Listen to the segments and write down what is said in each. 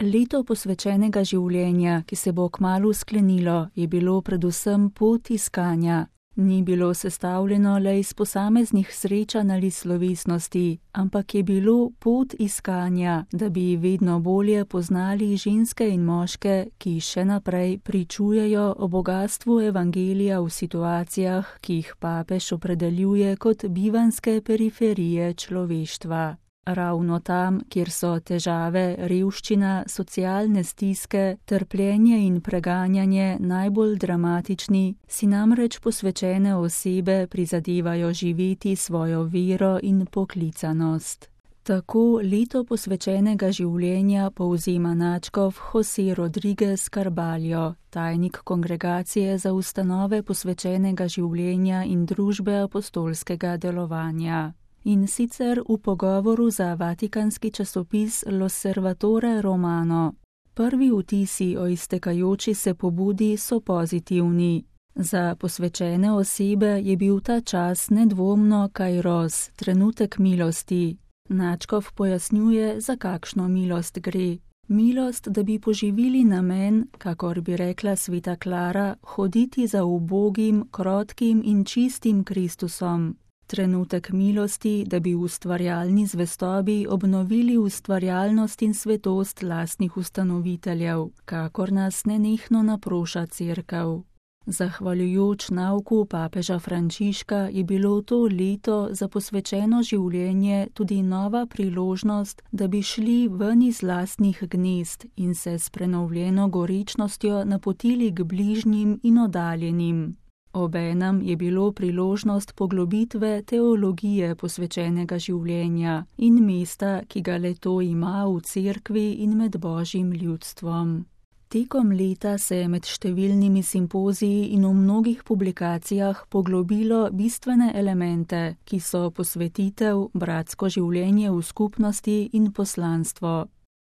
Leto posvečenega življenja, ki se bo kmalu sklenilo, je bilo predvsem pot iskanja. Ni bilo sestavljeno le iz posameznih srečanj ali slovesnosti, ampak je bilo pot iskanja, da bi vedno bolje poznali ženske in moške, ki še naprej pričujejo o bogastvu evangelija v situacijah, ki jih papež opredeljuje kot bivanjske periferije človeštva. Ravno tam, kjer so težave, revščina, socialne stiske, trpljenje in preganjanje najbolj dramatični, si namreč posvečene osebe prizadevajo živeti svojo vero in poklicanost. Tako leto posvečenega življenja povzema nadškof José Rodríguez Carballo, tajnik Kongregacije za ustanove posvečenega življenja in družbe apostolskega delovanja. In sicer v pogovoru za vatikanski časopis L'Osservatore Romano. Prvi vtisi o iztekajoči se pobudi so pozitivni. Za posvečene osebe je bil ta čas nedvomno kairos, trenutek milosti. Nadškof pojasnjuje, za kakšno milost gre. Milost, da bi poživili namen, kakor bi rekla sveta Klara, hoditi za ubogim, krotkim in čistim Kristusom. Trenutek milosti, da bi v ustvarjalni zvestobi obnovili ustvarjalnost in svetost lastnih ustanoviteljev, kakor nas nenehno naproša Cerkev. Zahvaljujoč nauku papeža Frančiška je bilo to leto za posvečeno življenje tudi nova priložnost, da bi šli ven iz lastnih gnezd in se s prenovljeno gorečnostjo napotili k bližnjim in oddaljenim. Obenem je bilo priložnost poglobitve teologije posvečenega življenja in mesta, ki ga le-to ima v Cerkvi in med Božjim ljudstvom. Tekom leta se je med številnimi simpoziji in v mnogih publikacijah poglobilo bistvene elemente, ki so posvetitev, bratsko življenje v skupnosti in poslanstvo.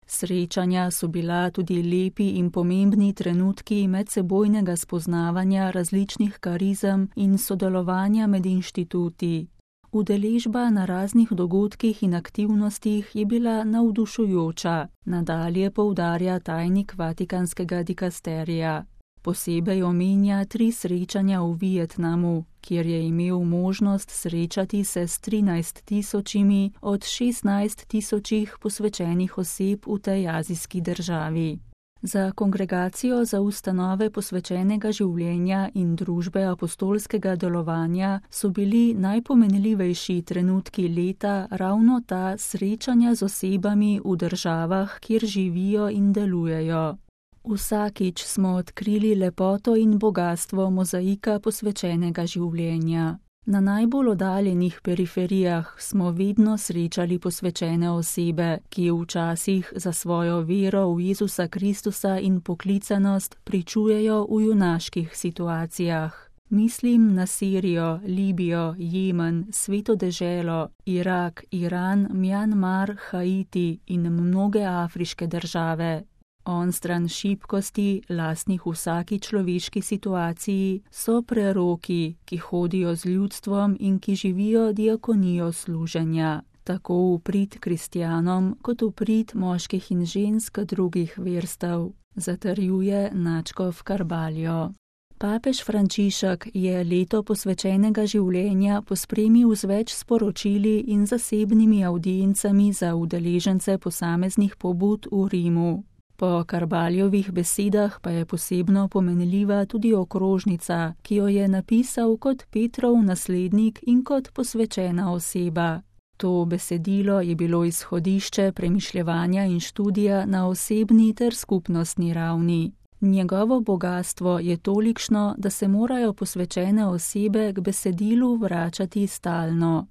Srečanja so bila tudi lepi in pomembni trenutki medsebojnega spoznavanja različnih karizem in sodelovanja med inštituti. Udeležba na raznih dogodkih in aktivnostih je bila navdušujoča, nadalje poudarja tajnik vatikanskega dikasterija. Posebej omenja 3 srečanja v Vietnamu, kjer je imel možnost srečati se s 13 tisočimi od 16 tisočih posvečenih oseb v tej azijski državi. Za Kongregacijo za ustanove posvečenega življenja in družbe apostolskega delovanja so bili najpomenljivejši trenutki leta ravno ta srečanja z osebami v državah, kjer živijo in delujejo. Vsakič smo odkrili lepoto in bogastvo mozaika posvečenega življenja. Na najbolj oddaljenih periferijah smo vedno srečali posvečene osebe, ki včasih za svojo vero v Jezusa Kristusa in poklicanost pričujejo v junaških situacijah. Mislim na Sirijo, Libijo, Jemen, Sveto deželo, Irak, Iran, Mjanmar, Haiti in mnoge afriške države. Onstran šibkosti, lastnih vsaki človeški situaciji, so preroki, ki hodijo z ljudstvom in ki živijo diakonijo služenja, tako v prid kristjanom, kot v prid moških in žensk drugih verstev, zatrjuje nadškof Carballo. Papež Frančišek je leto posvečenega življenja pospremil z več sporočili in zasebnimi avdiencami za udeležence posameznih pobud v Rimu. Po Carballovih besedah pa je posebno pomenljiva tudi okrožnica, ki jo je napisal kot Petrov naslednik in kot posvečena oseba. To besedilo je bilo izhodišče premišljevanja in študija na osebni ter skupnostni ravni. Njegovo bogastvo je tolikšno, da se morajo posvečene osebe k besedilu vračati stalno.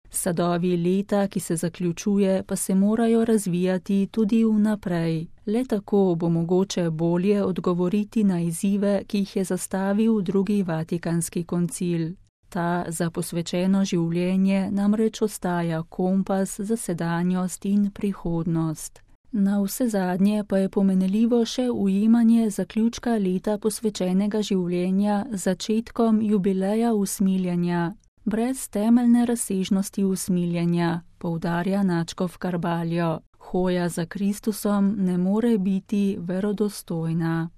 Sadovi leta, ki se zaključuje, pa se morajo razvijati tudi vnaprej. Le tako bo mogoče bolje odgovoriti na izzive, ki jih je zastavil drugi vatikanski koncil. Ta za posvečeno življenje namreč ostaja kompas za sedanjost in prihodnost. Navsezadnje pa je pomenljivo še ujemanje zaključka leta posvečenega življenja z začetkom jubileja usmiljenja. brez temeljne razsežnosti usmiljenja, poudarja nadškof Carballo. Hoja za Kristusom ne more biti verodostojna.